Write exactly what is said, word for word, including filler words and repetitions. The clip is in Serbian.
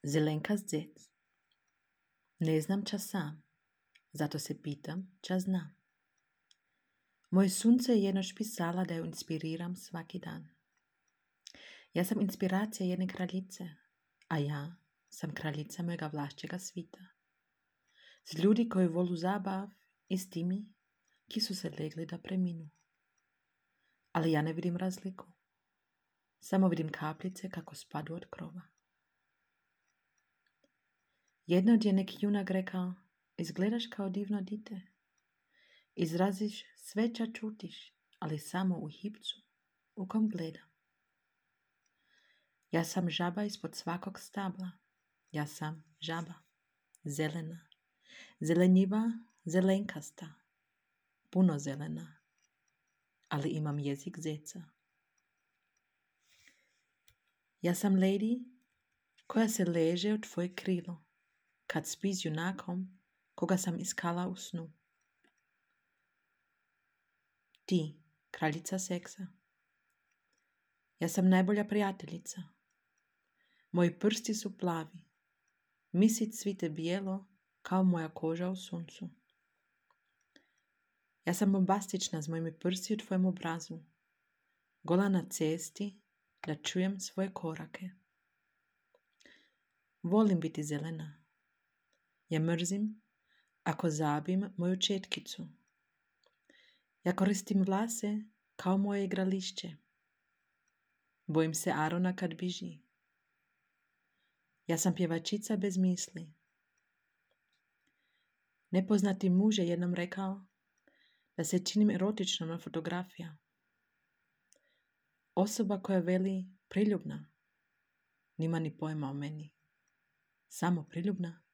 Zelenka zec. Ne znam ča sam, zato se pitam ča znam. Moje sunce je jednoć pisala da ju inspiriram svaki dan. Ja sam inspiracija jedne kraljice, a ja sam kraljica mojega vlašćega svita. S ljudi koji volu zabav i s timi, ki su se legli da preminu. Ali ja ne vidim razliku. Samo vidim kapljice kako spadu od krova. Jednog je neki junak rekao, izgledaš kao divno dite. Izraziš sve ča čutiš, ali samo u hipcu u kom gledam. Ja sam žaba ispod svakog stabla. Ja sam žaba. Zelena. Zelenjiva, zelenkasta. Puno zelena. Ali imam jezik zeca. Ja sam lady koja se leže u tvoje krilo kad spi s junakom koga sam iskala u snu. Ti, kraljica seksa. Ja sam najbolja prijateljica. Moji prsti su plavi. Misit cvite bijelo kao moja koža u suncu. Ja sam bombastična s mojimi prsti u tvojem obrazu. Gola na cesti da čujem svoje korake. Volim biti zelena. Ja mrzim ako zabim moju četkicu. Ja koristim vlase kao moje igrališće. Bojim se Arona kad biži. Ja sam pjevačica bez misli. Nepoznati muž je jednom rekao da se činim erotično na fotografija. Osoba koja veli priljubna nima ni pojma o meni. Samo priljubna.